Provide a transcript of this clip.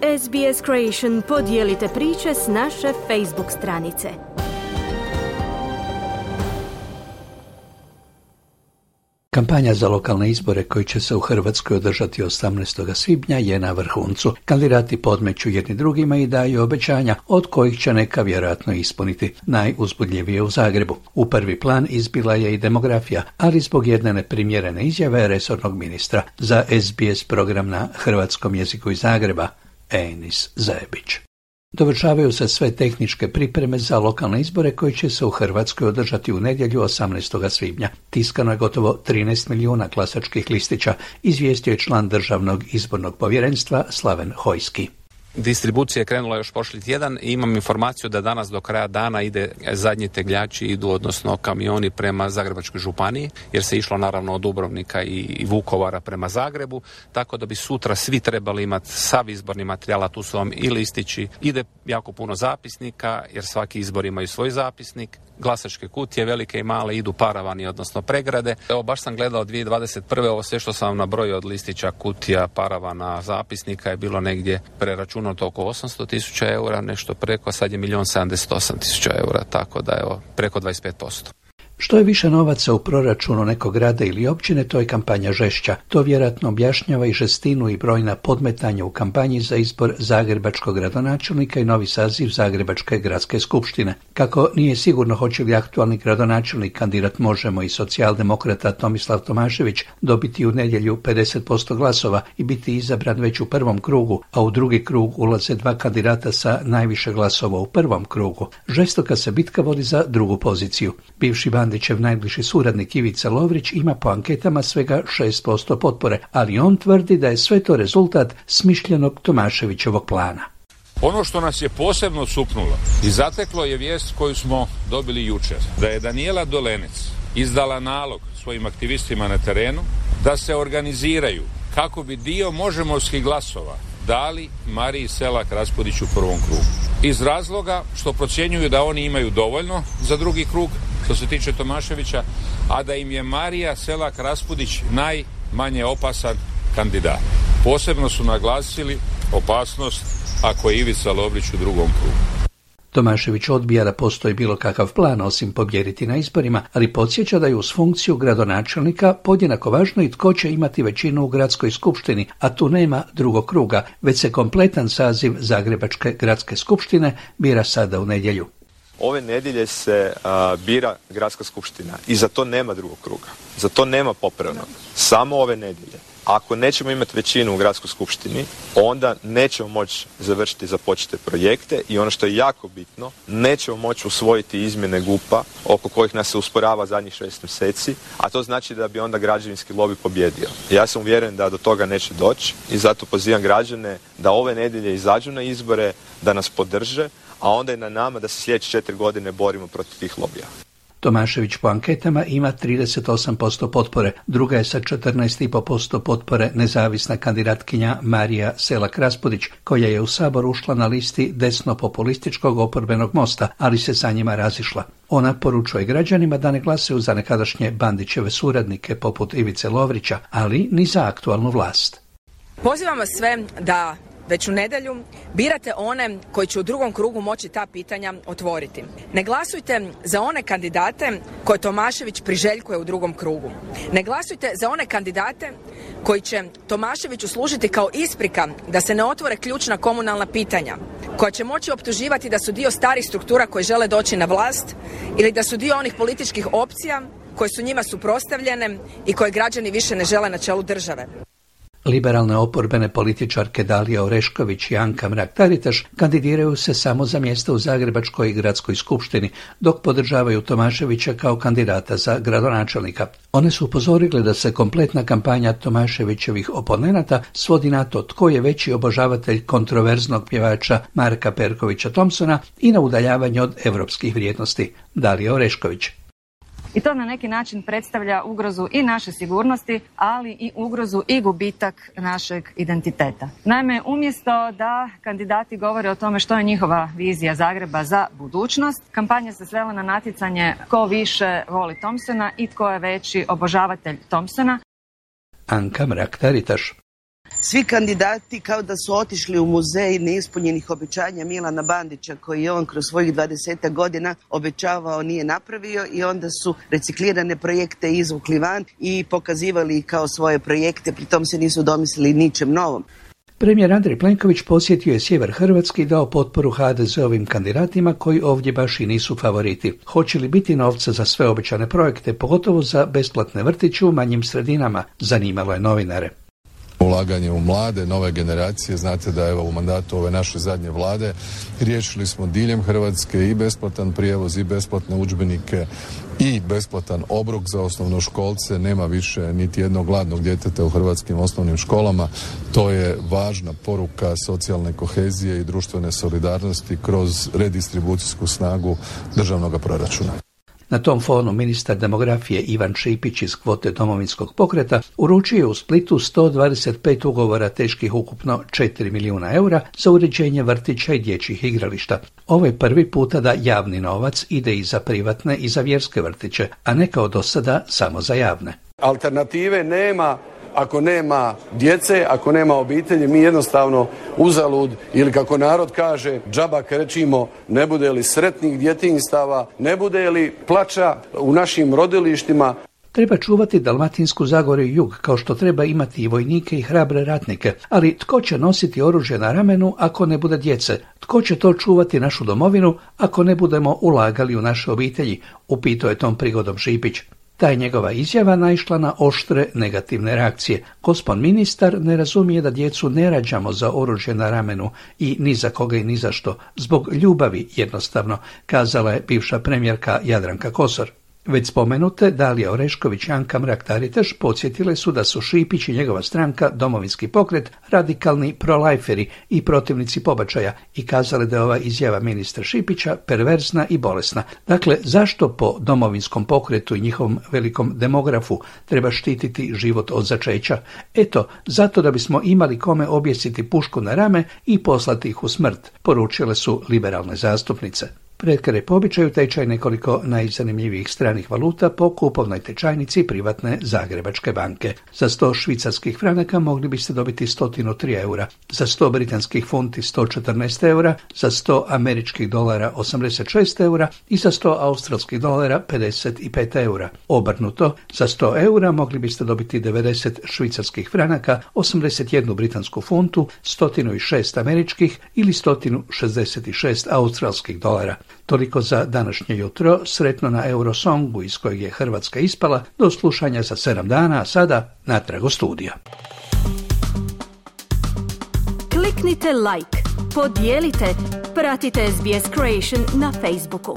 SBS Creation podijelite priče s naše Facebook stranice. Kampanja za lokalne izbore koji će se u Hrvatskoj održati 18. svibnja je na vrhuncu. Kandidati podmeću jedni drugima i daju obećanja, od kojih će neka vjerojatno ispuniti. Najuzbudljivije u Zagrebu. U prvi plan izbila je i demografija, ali zbog jedne neprimjerene izjave resornog ministra za SBS program na hrvatskom jeziku iz Zagreba, Enis Zajebić. Dovršavaju se sve tehničke pripreme za lokalne izbore koji će se u Hrvatskoj održati u nedjelju 18. svibnja. Tiskano je gotovo 13 milijuna glasačkih listića, izvijestio je član Državnog izbornog povjerenstva Slaven Hojski. Distribucija je krenula još prošli tjedan i imam informaciju da danas do kraja dana zadnji tegljači idu, odnosno kamioni prema Zagrebačkoj županiji, jer se išlo naravno od Dubrovnika i Vukovara prema Zagrebu, tako da bi sutra svi trebali imati sav izborni materijal, a tu su vam i listići, ide jako puno zapisnika, jer svaki izbor imaju svoj zapisnik, glasačke kutije, velike i male, idu paravani, odnosno pregrade. Evo, baš sam gledao 2021. ovo sve što sam vam nabrojio od listića, kutija, paravana, zapisnika je bilo negdje preračunato oko 800.000 eura, nešto preko, sad je 1.078.000 eura, tako da evo, preko 25%. Što je više novaca u proračunu nekog grada ili općine, to je kampanja žešća. To vjerojatno objašnjava i žestinu i brojna podmetanja u kampanji za izbor zagrebačkog gradonačelnika i novi saziv Zagrebačke gradske skupštine. Kako nije sigurno hoće li aktualni gradonačelnik, kandidat Možemo i socijaldemokrata Tomislav Tomašević dobiti u nedjelju 50% glasova i biti izabran već u prvom krugu, a u drugi krug ulaze dva kandidata sa najviše glasova u prvom krugu. Žestoka se bitka vodi za drugu poziciju. Bivši Bandićev najbliži suradnik Ivica Lovrić ima po anketama svega 6% potpore, ali on tvrdi da je sve to rezultat smišljenog Tomaševićevog plana. Ono što nas je posebno supnulo i zateklo je vijest koju smo dobili jučer, da je Danijela Dolenec izdala nalog svojim aktivistima na terenu da se organiziraju kako bi dio možemovskih glasova dali Mariji Selak Raspudić u prvom krugu. Iz razloga što procjenjuju da oni imaju dovoljno za drugi krug, što se tiče Tomaševića, a da im je Marija Selak Raspudić najmanje opasan kandidat. Posebno su naglasili opasnost ako je Ivica Lovrić u drugom krugu. Tomašević odbija da postoji bilo kakav plan osim pobijediti na izborima, ali podsjeća da je uz funkciju gradonačelnika podjednako važno i tko će imati većinu u gradskoj skupštini, a tu nema drugog kruga, već se kompletan saziv Zagrebačke gradske skupštine bira sada u nedjelju. Ove nedjelje se bira gradska skupština i za to nema drugog kruga, za to nema popravnog, samo ove nedjelje. Ako nećemo imati većinu u gradskoj skupštini, onda nećemo moći završiti započete projekte i ono što je jako bitno, nećemo moći usvojiti izmjene GUP-a oko kojih nas se usporava zadnjih 6 mjeseci, a to znači da bi onda građevinski lobby pobjedio. Ja sam uvjeren da do toga neće doći i zato pozivam građane da ove nedjelje izađu na izbore, da nas podrže, a onda je na nama da se sljedeće 4 godine borimo protiv tih lobija. Tomašević po anketama ima 38% potpore, druga je sa 14,5% potpore nezavisna kandidatkinja Marija Selak Raspudić, koja je u Sabor ušla na listi desno-populističkog oporbenog Mosta, ali se sa njima razišla. Ona poručuje građanima da ne glasaju za nekadašnje Bandićeve suradnike poput Ivice Lovrića, ali ni za aktualnu vlast. Pozivam vas sve da već u nedjelju birate one koji će u drugom krugu moći ta pitanja otvoriti. Ne glasujte za one kandidate koje Tomašević priželjkuje u drugom krugu. Ne glasujte za one kandidate koji će Tomaševiću služiti kao isprika da se ne otvore ključna komunalna pitanja, koja će moći optuživati da su dio starih struktura koji žele doći na vlast ili da su dio onih političkih opcija koje su njima suprotstavljene i koje građani više ne žele na čelu države. Liberalne oporbene političarke Dalija Orešković i Anka Mrak-Taritaš kandidiraju se samo za mjesto u Zagrebačkoj gradskoj skupštini, dok podržavaju Tomaševića kao kandidata za gradonačelnika. One su upozorile da se kompletna kampanja Tomaševićevih oponenata svodi na to tko je veći obožavatelj kontroverznog pjevača Marka Perkovića Thompsona i na udaljavanje od europskih vrijednosti. Dalija Orešković. I to na neki način predstavlja ugrozu i naše sigurnosti, ali i ugrozu i gubitak našeg identiteta. Naime, umjesto da kandidati govore o tome što je njihova vizija Zagreba za budućnost, kampanja se svela na natjecanje tko više voli Thompsona i tko je veći obožavatelj Thompsona. Anka Mrak-Taritaš. Svi kandidati kao da su otišli u muzej neispunjenih obećanja Milana Bandića, koji je on kroz svojih 20 godina obećavao, nije napravio, i onda su reciklirane projekte izvukli van i pokazivali kao svoje projekte, pritom se nisu domislili ničem novom. Premijer Andrej Plenković posjetio je sjever Hrvatske i dao potporu HDZ-ovim kandidatima koji ovdje baš i nisu favoriti. Hoće li biti novca za sve obećane projekte, pogotovo za besplatne vrtiće u manjim sredinama, zanimalo je novinare. Ulaganje u mlade, nove generacije, znate da evo u mandatu ove naše zadnje vlade riješili smo diljem Hrvatske i besplatan prijevoz i besplatne udžbenike i besplatan obrok za osnovnoškolce. Nema više niti jednog gladnog djeteta u hrvatskim osnovnim školama. To je važna poruka socijalne kohezije i društvene solidarnosti kroz redistribucijsku snagu državnog proračuna. Na tom fonu ministar demografije Ivan Šipić iz kvote Domovinskog pokreta uručio je u Splitu 125 ugovora teških ukupno 4 milijuna eura za uređenje vrtića i dječjih igrališta. Ovo je prvi puta da javni novac ide i za privatne i za vjerske vrtiće, a ne kao do sada samo za javne. Alternative nema. Ako nema djece, ako nema obitelji, mi jednostavno uzalud, ili kako narod kaže, džaba krečimo, ne bude li sretnih djetinjstava, ne bude li plača u našim rodilištima. Treba čuvati Dalmatinsku Zagoru i jug, kao što treba imati i vojnike i hrabre ratnike. Ali tko će nositi oružje na ramenu ako ne bude djece? Tko će to čuvati našu domovinu ako ne budemo ulagali u naše obitelji? Upitao je tom prigodom Šipić. Ta je njegova izjava naišla na oštre negativne reakcije. Gospon ministar ne razumije da djecu ne rađamo za oružje na ramenu i ni za koga i ni za što. Zbog ljubavi jednostavno, kazala je bivša premijerka Jadranka Kosor. Već spomenute Dalija Orešković i Anka Mrak-Taritaš podsjetile su da su Šipić i njegova stranka Domovinski pokret radikalni prolajferi i protivnici pobačaja i kazale da je ova izjava ministra Šipića perverzna i bolesna. Dakle, zašto po Domovinskom pokretu i njihovom velikom demografu treba štititi život od začeća? Eto, zato da bismo imali kome objesiti pušku na rame i poslati ih u smrt, poručile su liberalne zastupnice. Pred kraj po običaju tečaj nekoliko najzanimljivijih stranih valuta po kupovnoj tečajnici privatne Zagrebačke banke. Za 100 švicarskih franaka mogli biste dobiti 103 eura, za 100 britanskih funti 114 eura, za 100 američkih dolara 86 eura i za 100 australskih dolara 55 eura. Obrnuto, za 100 eura mogli biste dobiti 90 švicarskih franaka, 81 britansku funtu, 106 američkih ili 166 australskih dolara. Toliko za današnje jutro, sretno na Eurosongu iz kojeg je Hrvatska ispala, do slušanja za 7 dana, a sada natrag u studija. Kliknite like, podijelite, pratite SBS Creation na Facebooku.